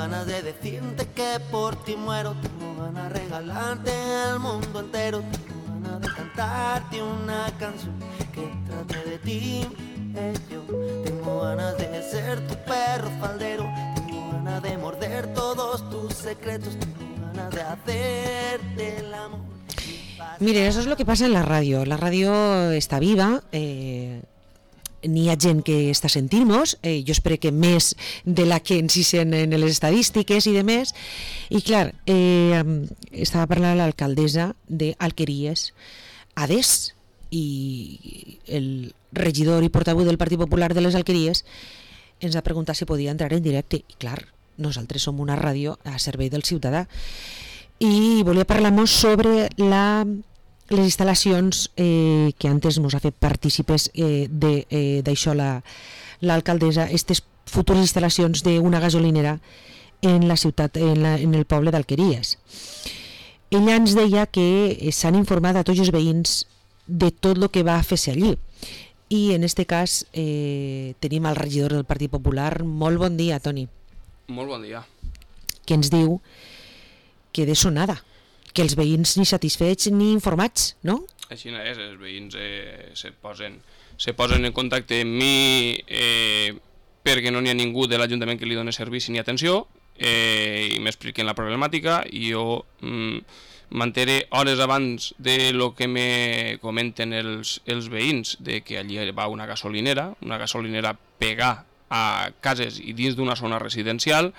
ganas de decirte que por ti muero, tengo ganas de regalarte el mundo entero, tengo ganas de cantarte una canción que trate de ti. Yo tengo ganas de ser tu perro faldero, tengo ganas de morder todos tus secretos, tengo ganas de hacerte el amor. Miren, eso es lo que pasa en la radio. La radio està viva, n'hi ha gent que està sentint-nos, jo espero que més de la que ens hi sent en les estadístiques i de més, i clar, estava parlant l'alcaldessa d'Alqueries, Ades, i el regidor i portaveu del Partit Popular de les Alqueries ens va preguntar si podia entrar en directe, i clar, nosaltres som una ràdio a servei del ciutadà, i volia parlar-nos sobre les instal·lacions que antes ens ha fet partícipes d'això l'alcaldessa, aquestes futures instal·lacions d'una gasolinera en la ciutat, en el poble d'Alqueries. Ella ens deia que s'han informat a tots els veïns de tot el que va fer-se allí, i en aquest cas tenim el regidor del Partit Popular. Molt bon dia, Toni. Molt bon dia. Que ens diu que de sonada, que els veïns ni satisfets ni informats, no? Així no és, els veïns se posen en contacte amb mi perquè no n'hi ha ningú de l'Ajuntament que li doni servici ni atenció, i m'expliquen la problemàtica, i jo m'enteré hores abans de lo que me comenten els veïns, de que allí va una gasolinera pegar a cases i dins d'una zona residencial,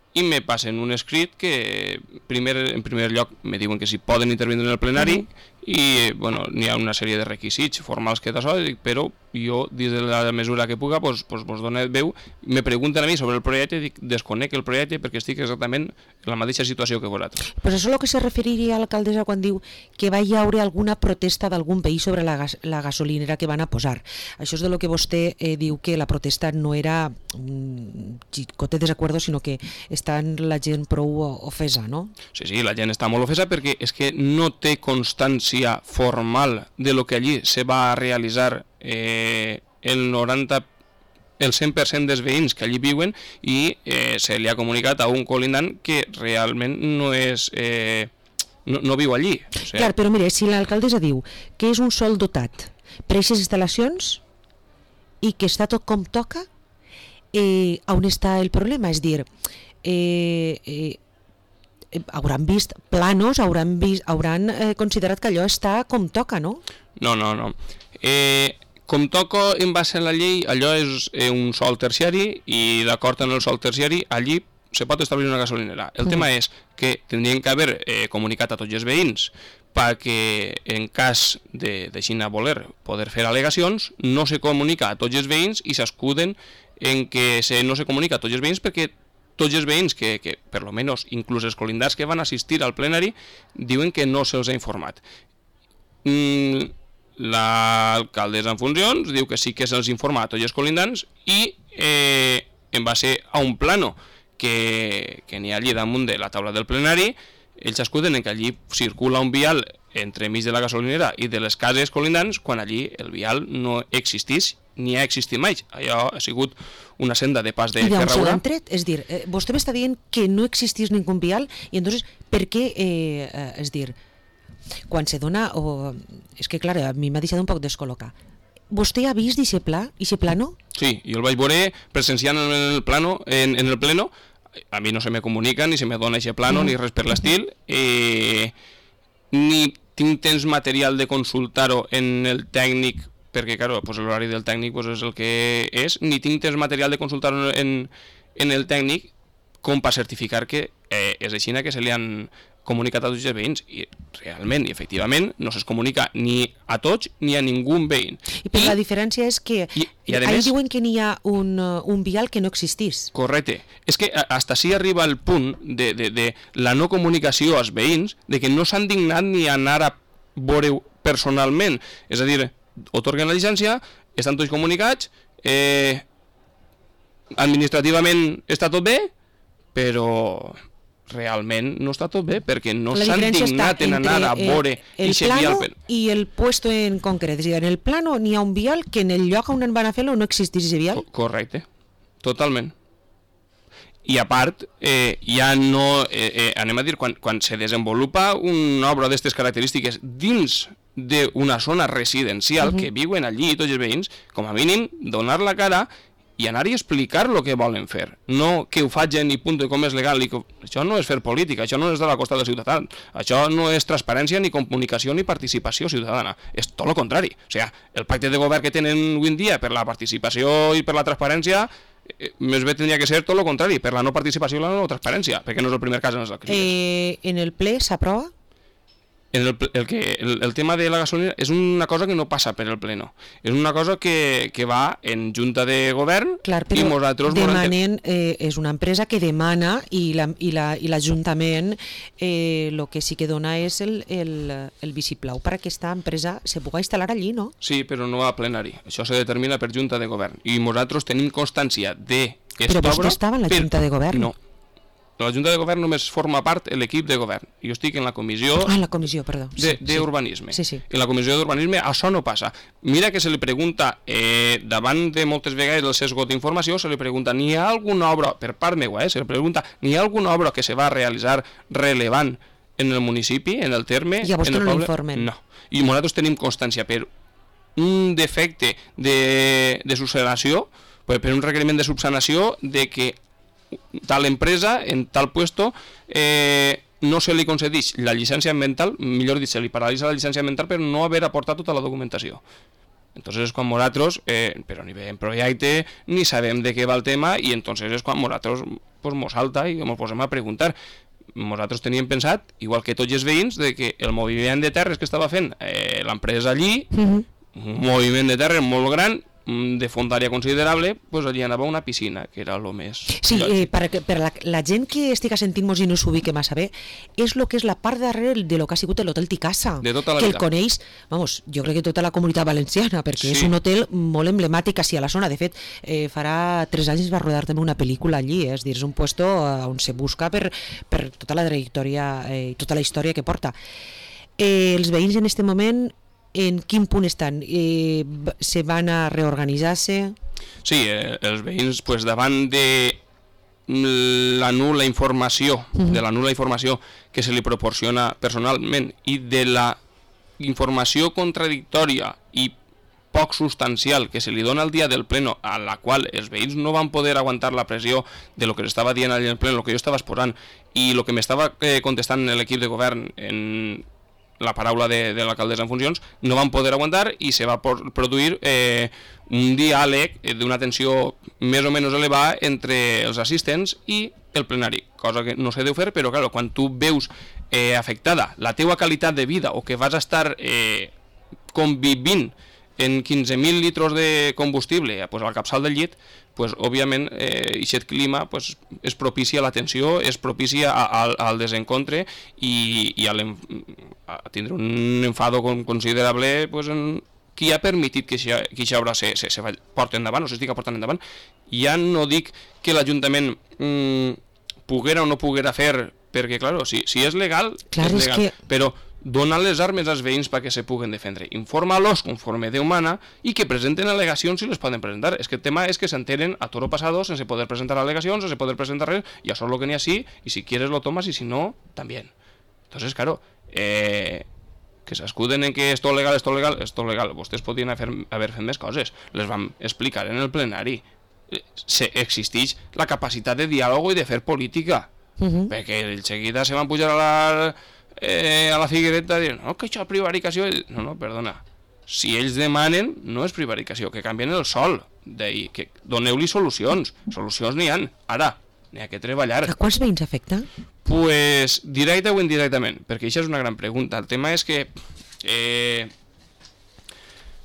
i me passen un escrit que en primer lloc me diuen que si poden intervindre en el plenari, i bueno, n'hi ha una sèrie de requisits formals que d'això, però jo, dins de la mesura que puga, vos dono veu. Me pregunten a mi sobre el projecte, dic, desconec el projecte perquè estic exactament en la mateixa situació que vosaltres. Pues això és el que se referiria a l'alcaldessa quan diu que va hi haure alguna protesta d'algun veí sobre la gasolinera que van a posar. Això és de lo que vostè diu, que la protesta no era un xicote desacuerdo, sinó que està la gent prou ofesa, no? Sí, la gent està molt ofesa perquè és que no té constància formal de lo que allí se va a realitzar el 100% dels veïns que allí viuen, i se li ha comunicat a un colindant que realment no és no viu allí. O sigui... Clar, però mire, si l'alcaldessa diu que és un sòl dotat per a aquestes instal·lacions i que està tot com toca, on està el problema? És dir, hauran vist planos, hauran considerat que allò està com toca, no? No. Com toca en base a la llei, allò és un sòl terciari, i d'acord amb el sòl terciari, allí se pot establir una gasolinera. El tema és que tindrien que haver comunicat a tots els veïns perquè en cas d'així voler poder fer al·legacions, no se comunica a tots els veïns i s'escuden en que no se comunica a tots els veïns perquè tots els veïns que per lo menos, inclús els colindats que van assistir al plenari, diuen que no se'ls ha informat. L'alcaldessa en funcions diu que sí que se'ls informa a tots els colindants, i en base a un plano que n'hi ha allí damunt de la taula del plenari, ells escuden en que allí circula un vial entre mig de la gasolinera i de les cases colindants, quan allí el vial no existís ni ha existit mai. Allò ha sigut una senda de pas de ferradura. I d'on se l'han tret? És dir, vostè m'està dient que no existís ningú vial, i entonces, per què, és dir, quan se dona, és que clar, a mi m'ha deixat un poc descol·locar. Vostè ha vist aquest pla, aquest plano? Sí, jo el vaig veure presenciant en el plano, en el pleno. A mi no se me comunica, ni se me dona aquest plano, ni res per l'estil, ni tinc temps material de consultar-ho en el tècnic, perquè claro, pues l'horari del tècnic pues, és el que és, ni tinc temps material de consultar-ho en el tècnic com per certificar que és així que se li han comunicat a tots els veïns, i realment i efectivament no se'ls comunica ni a tots ni a ningú veïn. Però la diferència és que ahí diuen que n'hi ha un vial que no existís. Correcte. És que hasta així arriba el punt de la no comunicació als veïns, de que no s'han dignat ni anar a veure personalment. És a dir, otorguen la llicència, estan tots comunicats, administrativament està tot bé, però realment no està tot bé, perquè no s'han dignat en anar a veure el plano i el puesto en concret. És a dir, en el plano n'hi ha un vial que en el lloc on van a fer-lo no existís aquest vial. Correcte, totalment. I a part, ja no, anem a dir, quan se desenvolupa una obra d'aquestes característiques dins d'una zona residencial que viuen allí tots els veïns, com a mínim donar la cara i anar i explicar el que volen fer. No que ho facin i punt, com és legal. Això no és fer política, això no és de la costa del ciutadà. Això no és transparència, ni comunicació, ni participació ciutadana. És tot el contrari. O sigui, el pacte de govern que tenen avui en dia per la participació i per la transparència, més bé tindria que ser tot el contrari, per la no participació i la no transparència, perquè no és el primer cas en els crisis. En el ple s'aprova? El tema de la gasolina és una cosa que no passa per el pleno, és una cosa que va en junta de govern. Clar, però i nosaltres demanen, és una empresa que demana i l'Ajuntament el que sí que dona és el vistiplau per a aquesta empresa se pugui instal·lar allí, no? Sí, però no a plenari, això se determina per junta de govern i nosaltres tenim constància de Però vostè estava en la junta de govern? No. La Junta de Govern només forma part l'equip de govern. Jo estic en la comissió... la comissió, perdó. D'urbanisme. Sí. En la comissió d'urbanisme això no passa. Mira que se li pregunta, davant de moltes vegades el sesgo d'informació, se li pregunta, n'hi ha alguna obra, per part meva, se li pregunta, n'hi ha alguna obra que se va realitzar rellevant en el municipi, en el terme... I a vostè no l'informen? No. I nosaltres tenim constància per un defecte de subsanació, per un requeriment de subsanació de que tal empresa, en tal puesto, no se li concedeix la llicència ambiental, millor dit, se li paralitza la llicència ambiental per no haver aportat tota la documentació. Entonces és quan nosaltres, però ni veiem projecte, ni sabem de què va el tema, i entonces és quan nosaltres mos salta i mos posem a preguntar. Nosaltres teníem pensat, igual que tots els veïns, de que el moviment de terres que estava fent l'empresa allí, un moviment de terres molt gran, de fondària considerable, doncs allí anava una piscina, que era el més... Sí, per la gent que estigui sentint-nos i no s'ubique massa bé, és el que és la part darrere de lo que ha sigut l'hotel Ticasa, de tota la que vida. El coneix, jo crec que tota la comunitat valenciana, perquè és un hotel molt emblemàtic així a la zona. De fet, farà 3 anys va rodar també una pel·lícula allí, és dir, és un puesto on se busca per tota la trajectòria i tota la història que porta. Els veïns en aquest moment, en quin punt estan? Se van a reorganitzar-se? Sí, els veïns, davant de la nul·la informació, que se li proporciona personalment i de la informació contradictòria i poc substancial que se li dona el dia del pleno, a la qual els veïns no van poder aguantar la pressió de lo que estava dient allà en pleno, el que jo estava exposant i el que m'estava contestant l'equip de govern en la paraula de l'alcaldessa en funcions, no van poder aguantar i se va produir un diàleg d'una tensió més o menys elevada entre els assistents i el plenari, cosa que no se deu fer, però clar, quan tu veus afectada la teua qualitat de vida o que vas a estar convivint en 15.000 litros de combustible al capçal del llit, òbviament aquest clima és propici a la tensió, és propici al desencontre i a tindre un enfado considerable qui ha permitit que aquesta obra se porti endavant o s'estigui portant endavant. Ja no dic que l'Ajuntament poguera o no poguera fer, perquè clar, si és legal, és legal, però dona les armes als veïns perquè se puguen defendre. Informa-los conforme Déu mana i que presenten al·legacions si les poden presentar. És que el tema és que s'entenen a toro pasado sense poder presentar al·legacions, sense poder presentar res, i això és el que n'hi ha sí, i si quieres lo tomas y si no, también. Entonces, claro, que s'escuden en que esto legal, esto legal, esto legal. Vostès podien haver fet més coses. Les vam explicar en el plenari. Existeix la capacitat de diàleg i de fer política. Perquè en seguida se van pujar a la Figuereta dient, no, que això és prevaricació. No, perdona, si ells demanen no és prevaricació, que canvien el sol, que doneu-li solucions n'hi ha, ara n'hi ha que treballar. A quants veïns afecta? Pues directe o indirectament, perquè això és una gran pregunta. El tema és que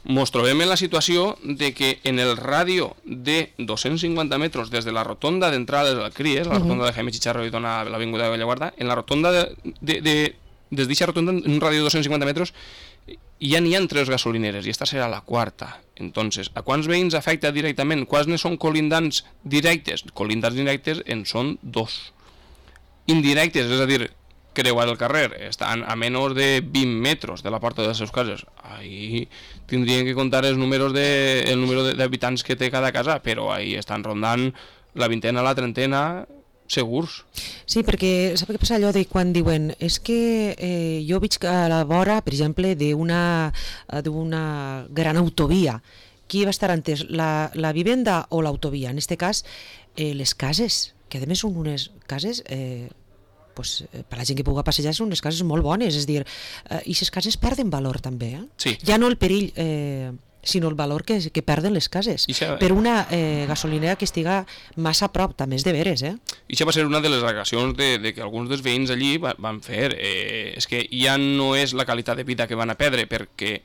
ens trobem en la situació de que en el ràdio de 250 metres des de la rotonda d'entrada del CRIES, la rotonda de Jaime Chicharro i dona l'avinguda de Bellaguarda, en la rotonda des d'aquesta rotonda, en un ràdio de 250 metres, ja n'hi ha 3 gasolineres, i esta serà la 4. Entonces, a quants veïns afecta directament? Quants ne són colindants directes? Colindants directes en són 2. Indirectes, és a dir, creuar el carrer, estan a menys de 20 metres de la porta de les seves cases. Ahí tindrien que comptar el número d'habitants que té cada casa, però ahí estan rondant la vintena, la trentena, segurs. Sí, perquè sap què passa allò de quan diuen és que jo veig que a la vora, per exemple, d'una gran autovia, qui va estar antes, la vivenda o l'autovia? En aquest cas, les cases, que a més són unes cases... pues, per la gent que pugui passejar són unes cases molt bones, és a dir, i aquestes cases perden valor també, Sí. ja no el perill, sinó el valor que perden les cases per una gasolinera que estiga massa a prop, també és de veres. I això va ser una de les al·legacions de que alguns dels veïns allí van fer. És que ja no és la qualitat de vida que van a perdre, perquè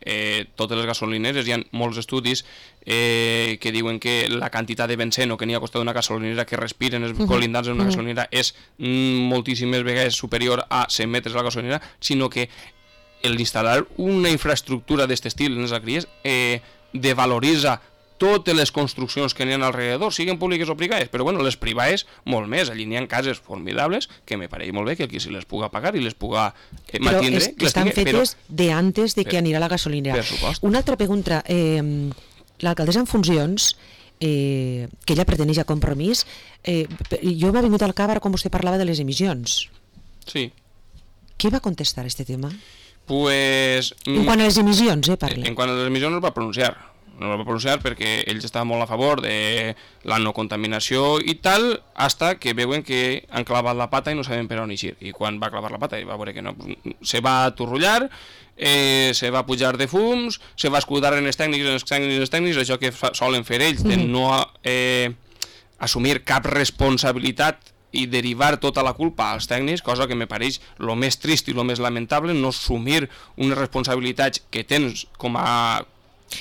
totes les gasolineres, hi ha molts estudis que diuen que la quantitat de benceno que n'hi ha costat una gasolinera que respiren els colindants en una gasolinera és moltíssimes vegades superior a 100 metres a la gasolinera, sinó que l'instal·lar una infraestructura d'aquest estil en les alqueries devaloritza totes les construccions que n'hi ha alrededor, siguin públiques o privades, però bueno, les privades molt més. Allí n'hi ha cases formidables que me pareix molt bé que qui se les puga pagar i les puga mantindre. Però estan fetes de antes de que anirà la gasolinera. Per supost. Una altra pregunta, l'alcaldessa en funcions, que ella perteneix a Compromís, jo m'ha vingut al cap ara quan vostè parlava de les emissions. Sí. Què va contestar a aquest tema? Pues, en quant a les emissions, parla. En quant a les emissions no es va pronunciar. No es va pronunciar perquè ells estaven molt a favor de la no contaminació i tal, hasta que veuen que han clavat la pata i no saben per on eixir. I quan va clavar la pata i va veure que no, se va aturrullar, se va pujar de fums, se va escudar en els tècnics, això que solen fer ells, de no assumir cap responsabilitat i derivar tota la culpa als tècnics, cosa que me pareix el més trist i el més lamentable, no assumir unes responsabilitats que tens com a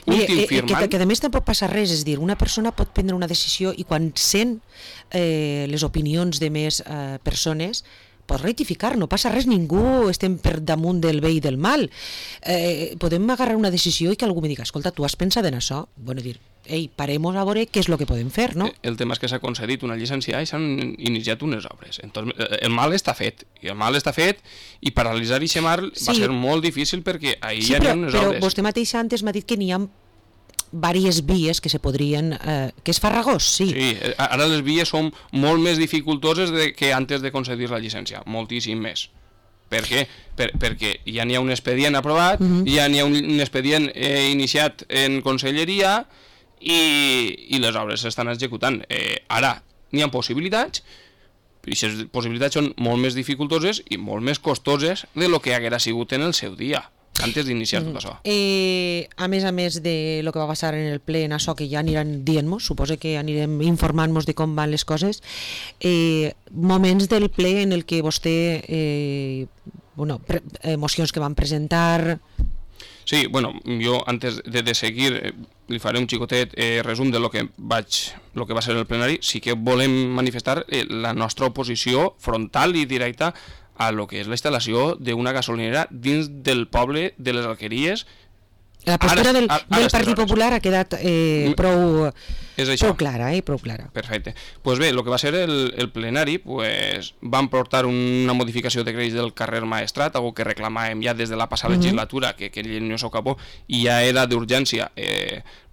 últim firmant. Que a més tampoc passa res, és dir, una persona pot prendre una decisió i quan sent les opinions de més persones pot rectificar, no passa res, ningú estem per damunt del bé i del mal. Podem agarrar una decisió i que algú me diga, escolta, tu has pensat en això? Bueno, dir, parem a veure què és el que podem fer, no? El tema és que s'ha concedit una llicència i s'han iniciat unes obres. Entonces, el mal està fet, i paralitzar i xemar va ser molt difícil perquè ahir hi ha unes obres. Però vostè mateix antes m'ha dit que n'hi ha diverses vies que se podrien... que és farragós, sí. Sí, ara les vies són molt més dificultoses que antes de concedir la llicència, moltíssim més. Per què? Perquè ja n'hi ha un expedient aprovat, ja n'hi ha un expedient iniciat en conselleria i les obres s'estan executant. Ara n'hi ha possibilitats, però aquestes possibilitats són molt més dificultoses i molt més costoses de lo que haguera sigut en el seu dia, antes d'iniciar tot això. A més de lo que va passar en el ple, en això que ja aniran dient-nos, suposo que anirem informant-nos de com van les coses, moments del ple en el que vostè, mocions que van presentar... Sí, bueno, jo antes de seguir li faré un xicotet resum de lo que va ser el plenari. Sí que volem manifestar la nostra oposició frontal i directa a lo que és la instal·lació d'una gasolinera dins del poble de les Alqueries. La postura del Partit Popular ha quedat prou clara, prou clara. Perfecte. Pues bé, el que va ser el plenari, pues, van portar una modificació de crèdits del carrer Maestrat, algo que reclamàvem ja des de la passada legislatura, que no s'acabó, i ja era d'urgència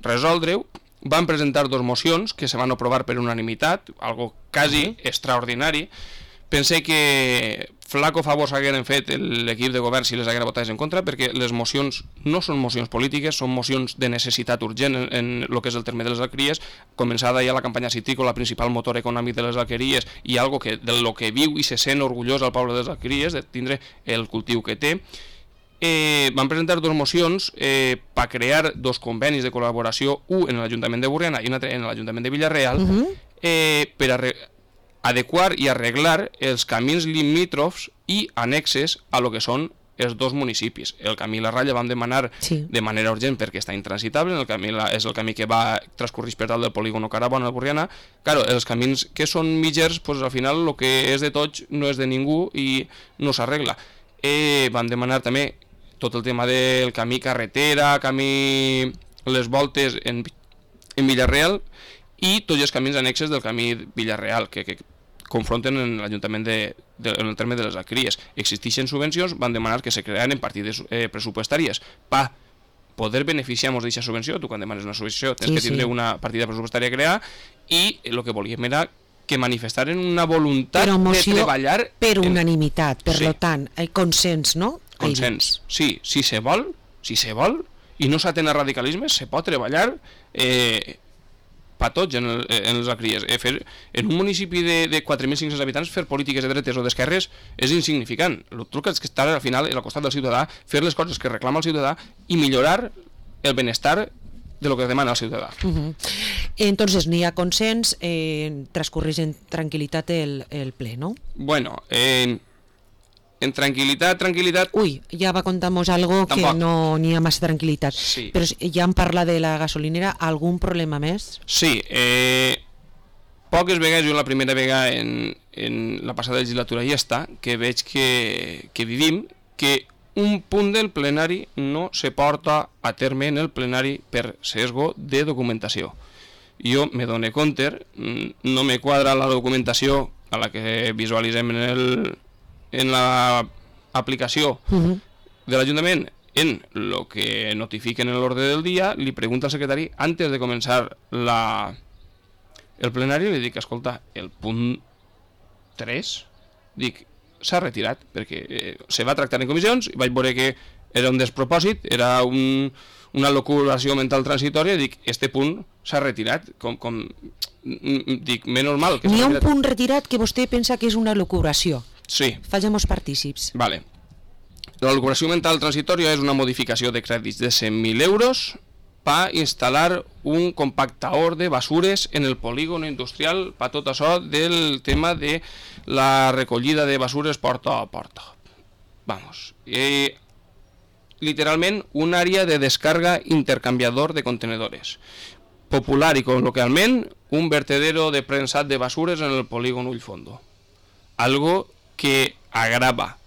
resoldre-ho. Van presentar dos mocions que se van aprovar per unanimitat, algo quasi extraordinari. Pensé que flaco favor s'hagueren fet l'equip de govern si les haguera votat en contra, perquè les mocions no són mocions polítiques, són mocions de necessitat urgent en el que és el terme de les alqueries, començada ja la campanya citrícola, principal motor econòmic de les alqueries, i algo que de lo que viu i se sent orgullós al poble de les alqueries, de tindre el cultiu que té. Van presentar dos mocions per crear dos convenis de col·laboració, un en l'Ajuntament de Borriana i un altre en l'Ajuntament de Vila-real, per adequar i arreglar els camins limítrofs i annexes a lo que són els dos municipis. El camí La Ralla vam demanar de manera urgent perquè està intransitable, és el camí que va transcorrir per dalt del polígono Carabona al Borriana. Claro, els camins que són mitgers, pues, al final el que és de tots no és de ningú i no s'arregla. Vam demanar també tot el tema del camí carretera, camí les voltes en Vila-real i tots els camins annexes del camí Vila-real que confronten en l'Ajuntament en el terme de les alqueries. Existeixen subvencions, van demanar que se crearen partides pressupostàries per poder beneficiar-nos d'aquesta subvenció. Tu quan demanes una subvenció tens que tindre una partida pressupostària a crear, i el que volíem era que manifestaren una voluntat però de treballar... per unanimitat, per Sí. lo tant, consens, no? Consens, sí, si se vol, i no s'atén a radicalismes, se pot treballar per tots en les alcries. En un municipi de 4.500 habitants fer polítiques de dretes o d'esquerres és insignificant. El truc és que estar al final al costat del ciutadà, fer les coses que reclama el ciutadà i millorar el benestar de lo que demana el ciutadà. Entonces, n'hi ha consens, transcurreix en tranquil·litat el ple, no? Bueno, en tranquil·litat... Uy, ja va contar-nos algo Tampoc. que no n'hi ha massa tranquil·litat. Sí. Però ja em parla de la gasolinera, algun problema més? Sí, poques vegades, jo la primera vegada en la passada legislatura ja està, que veig que vivim, que un punt del plenari no se porta a terme en el plenari per sesgo de documentació. Jo me dono compte, no me quadra la documentació a la que visualitzem en la aplicació de l'Ajuntament en lo que notifiquen en l'ordre del dia, li pregunta al secretari antes de començar el plenari, li dic, escolta, el punt 3, dic, s'ha retirat, perquè se va tractar en comissions, i vaig veure que era un despropòsit, era una locuració mental transitòria, i dic, este punt s'ha retirat, dic, menys mal que s'ha retirat. N'hi ha un punt retirat que vostè pensa que és una locuració. Sí. Fallem-nos partícips. Vale. La locuració mental transitòria és una modificació de crèdits de 100.000 euros per instal·lar un compactador de basures en el polígon industrial per tot això del tema de la recollida de basures porta a porta. Vamos. Literalment, un àrea de descarga intercanviador de contenedores. Popular i col·loquialment, un vertedero de prensat de basures en el polígon Ullfondo. Algo que agrava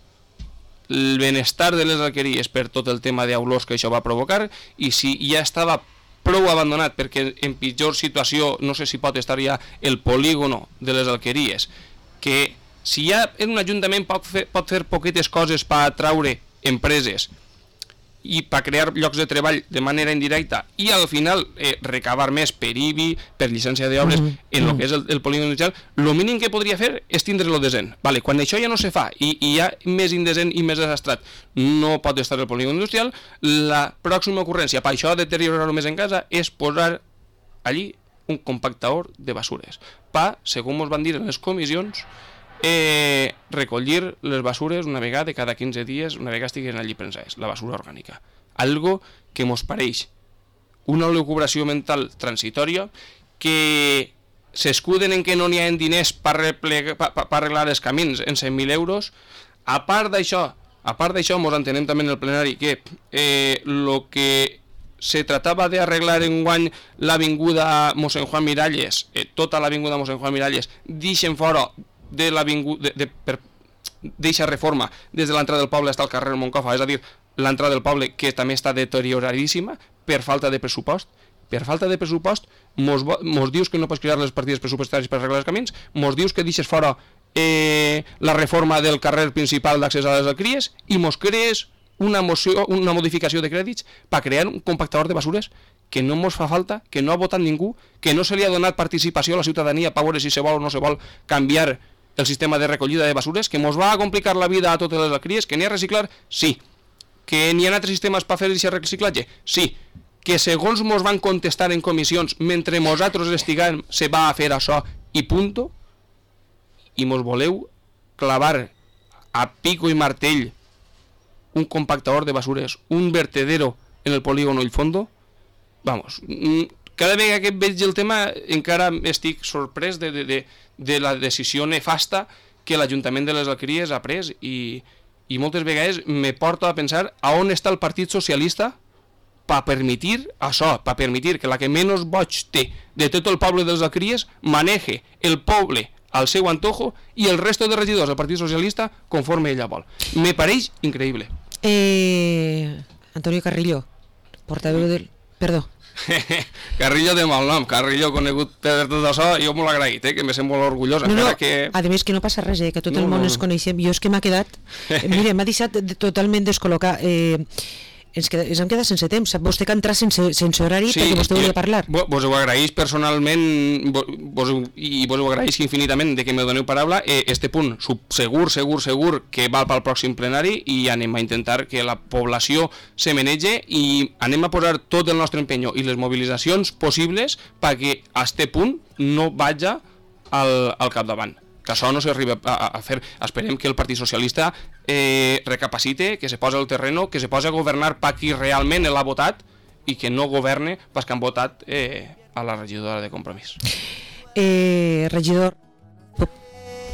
el benestar de les alqueries per tot el tema d'olors que això va provocar, i si ja estava prou abandonat perquè en pitjor situació, no sé si pot estar ja el polígono de les alqueries, que si ja en un ajuntament pot fer poquetes coses per atraure empreses i per crear llocs de treball de manera indirecta i al final recabar més per IBI, per llicència d'obres en el que és el polígon industrial, el mínim que podria fer és tindre-lo desent. Vale, quan això ja no se fa i hi ha més indesent i més desastrat, no pot estar el polígon industrial, la pròxima ocurrència per això deteriorar-ho més en casa és posar allí un compactador de basures per, segons ens van dir en les comissions, recollir les basures una vegada cada 15 dies, una vegada estiguin allí prensades, la basura orgànica. Algo que mos pareix una lucubració mental transitòria, que s'escuden en que no n'hi ha diners per arreglar els camins en 100.000 euros. A part d'això, mos entenem també en el plenari que lo que se tratava d'arreglar enguany l'avinguda Mossèn Juan Miralles, tota l'avinguda Mossèn Juan Miralles, deixen fora de l'avinguda d'eixa reforma des de l'entrada del poble fins al carrer Moncofa, és a dir, l'entrada del poble que també està deterioradíssima per falta de pressupost. Per falta de pressupost mos dius que no pots crear les partides pressupostàries per arreglar els camins, mos dius que deixes fora la reforma del carrer principal d'accés a les alqueries i mos crees una modificació de crèdits per crear un compactador de basures que no mos fa falta, que no ha votat ningú, que no se li ha donat participació a la ciutadania per veure si se vol o no se vol canviar el sistema de recollida de basures, que mos va a complicar la vida a totes les alqueries, que n'hi ha a reciclar, sí. Que n'hi ha altres sistemes per fer aquest reciclatge, sí. Que segons mos van contestar en comissions, mentre nosaltres estiguem, se va a fer això i punto, i mos voleu clavar a pico i martell un compactador de basures, un vertedero en el polígon Ullfondo. Vamos, cada vegada que veig el tema encara estic sorprès de la decisió nefasta que l'Ajuntament de les Alqueries ha pres i moltes vegades me porta a pensar a on està el Partit Socialista per permetir això, per permetir que la que menys boig té de tot el poble de les Alqueries maneje el poble al seu antojo i el resto de regidors del Partit Socialista conforme ella vol. Me pareix increïble. Antonio Carrillo, portaveu del... Perdó. Carrillo de mal nom, Carrillo conegut per tot això, jo molt agraït, que me sent molt orgullós. No, que... a més que no passa res, que tot el món ens coneixem. Jo és que m'ha quedat... Mira, m'ha deixat totalment descol·locat. ens hem quedat sense temps. Sap vostè que entrar sense horari perquè vostè volia parlar. Vos ho agraeix personalment i vos ho agraeix infinitament de que me doneu paraula. Este punt segur que val pel pròxim plenari i anem a intentar que la població se menege i anem a posar tot el nostre empenyo i les mobilitzacions possibles perquè a este punt no vagi al capdavant. Que això no s'arriba a fer. Esperem que el Partit Socialista recapacite, que se posa al terreno, que se posa a governar per qui realment l'ha votat i que no governe pels que han votat a la regidora de Compromís. Regidor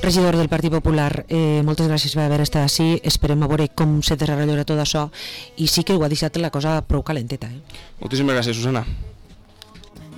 del Partit Popular, moltes gràcies per haver estat així. Esperem a veure com se desenvoluparà tot això i sí que ho ha deixat la cosa prou calenteta. Moltíssimes gràcies, Susana.